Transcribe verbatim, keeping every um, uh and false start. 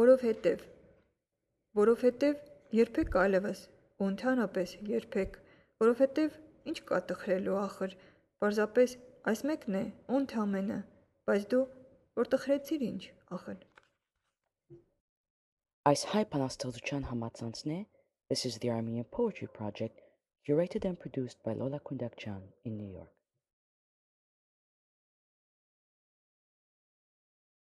Որովհետև, որովհետև երբեք այլևս ու ընդհանրապես երբեք, որովհետև ինչ կա տխրելու ախր, պարզապես այս մեկն է ու ընդամենը, բայց դու որ տխրեցիր ինչ ախր։ Այս հայ բանաստեղծության համացանցն է This is the Armenian Poetry Project, curated and produced by Lola Kundakjian in New York.